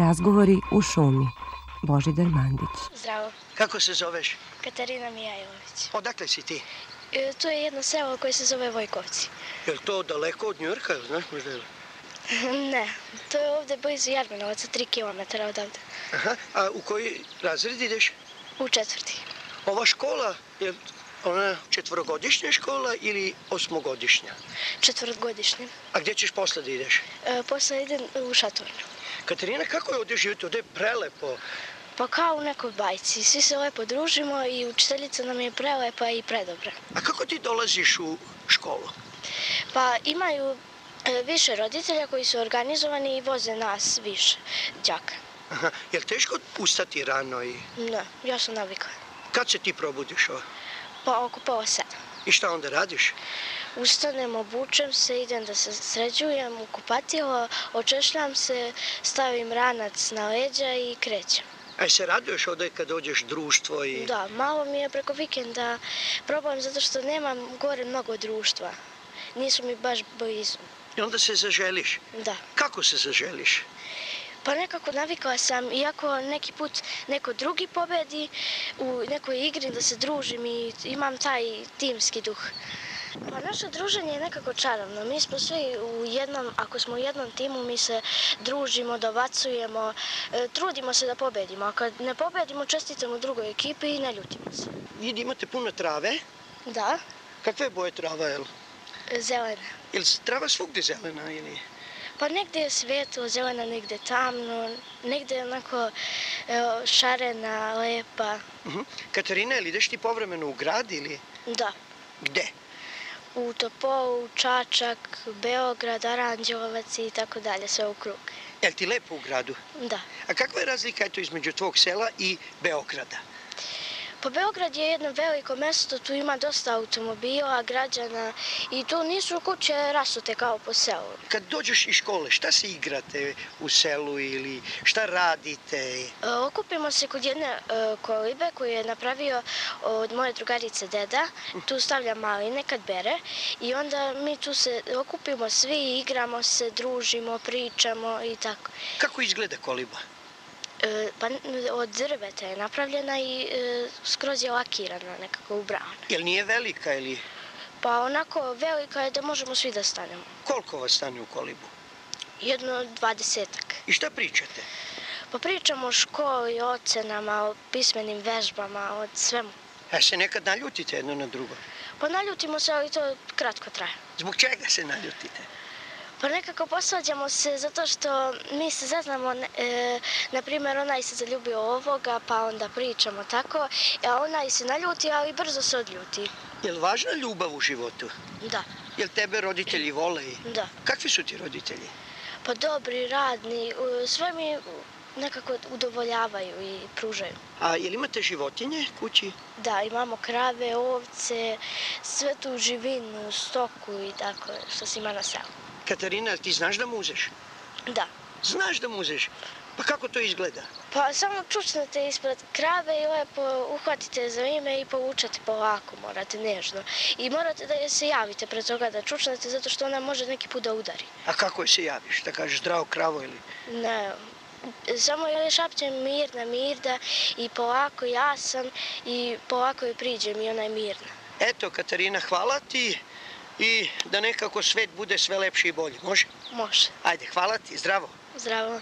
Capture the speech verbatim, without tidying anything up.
Razgovori u šumi. Božidar Mandić. Zdravo. Kako se zoveš? Katarina Mijajlović. Odakle si ti? E, to je jedno selo koje se zove Vojkovci. Je li to daleko od Njujorka, znaš možda je? Ne, to je ovde blizu Jarminovaca, tri kilometra odavde. Aha, a u koji razred ideš? U četvrti. Ova škola, je ona četvorogodišnja škola ili osmogodišnja? Četvrtgodišnje. A gdje ćeš posle da ideš? E, posle idem u Šatornju. Katarina, kako je ovdje živjeti? Ovdje je prelepo. Pa kao u nekoj bajci. Svi se lepo družimo i učiteljica nam je prelepa i predobra. A kako ti dolaziš u školu? Pa imaju e, više roditelja koji su organizovani i voze nas više đaka. Aha, je li teško ustati rano i... Ne, ja sam navikla. Kad se ti probudiš? O? Pa oko pola sedam. I šta onda radiš? Ustanem, obučem se, idem da se sređujem u kupatilo, očešljam se, stavim ranac na leđa i krećem. A se raduješ ovdje kad dođeš društvo i... Da, malo mi je preko vikenda problem zato što nemam gore mnogo društva. Nisu mi baš blizu. I onda se zaželiš? Da. Kako se zaželiš? Pa nekako navikla sam, iako neki put neko drugi pobedi u nekoj igri da se družim i imam taj timski duh. Pa naše druženje je nekako čarovno. Mi smo svi u jednom, ako smo u jednom timu, mi se družimo, dobacujemo, e, trudimo se da pobedimo. A kad ne pobedimo, čestitamo drugoj ekipi i ne ljutimo se. Vi imate puno trave? Da. Kakve boje trava, jel? Zelena. Je li trava svugdje zelena ili... Pa negde je svetlo, zelena, negde tamno, negde je onako evo, šarena, lepa. Uh-huh. Katarina, ili ideš ti povremeno u grad ili... Da. Gde? U Topolu, Čačak, Beograd, Aranđelovac i tako dalje, sve u krug. Je li ti lepo u gradu? Da. A kakva je razlika eto između tvog sela i Beograda? Pa Beograd je jedno veliko mesto, tu ima dosta automobila, građana i tu nisu kuće rasute kao po selu. Kad dođeš iz škole, šta se igrate u selu ili šta radite? E, okupimo se kod jedne e, kolibe koju je napravio od moje drugarice deda. Tu stavlja maline kad bere i onda mi tu se okupimo svi, igramo se, družimo, pričamo i tako. Kako izgleda koliba? E, pa od drveta je napravljena i e, skroz je lakirana, nekako ubrana. Jel nije velika ili... Pa onako velika je da možemo svi da stanemo. Koliko vas stane u kolibu? Jedno dvadesetak. I šta pričate? Pa pričamo o školi, o ocenama, o pismenim vežbama, o svemu. A se nekad naljutite jedno na drugo? Pa naljutimo se, ali to kratko traje. Zbog čega se naljutite? Pa nekako posvađamo se zato što mi se zeznamo, e, na primjer onaj se zaljubio ovoga, pa onda pričamo tako, a onaj se naljuti, ali brzo se odljuti. Je li važna ljubav u životu? Da. Je li tebe roditelji vole? Da. Kakvi su ti roditelji? Pa dobri, radni, sve mi nekako udovoljavaju i pružaju. A je li imate životinje kući? Da, imamo krave, ovce, sve tu živinu, stoku i tako što se ima na selu. Katarina, ti znaš da muzeš? Da. Znaš da muzeš? Pa kako to izgleda? Pa samo čučnete ispred krave i lepo uhvatite za ime i povučete polako, morate nežno. I morate da je se javite pred toga da čučnete zato što ona može neki put da udari. A kako je se javiš? Da kažeš zdravo kravo ili... Ne, samo je šapćem mirna, mirda i polako ja sam i polako je priđem i ona je mirna. Eto, Katarina, hvala ti i da nekako svet bude sve lepši i bolji. Može? Može. Ajde, hvala ti, zdravo. Zdravo.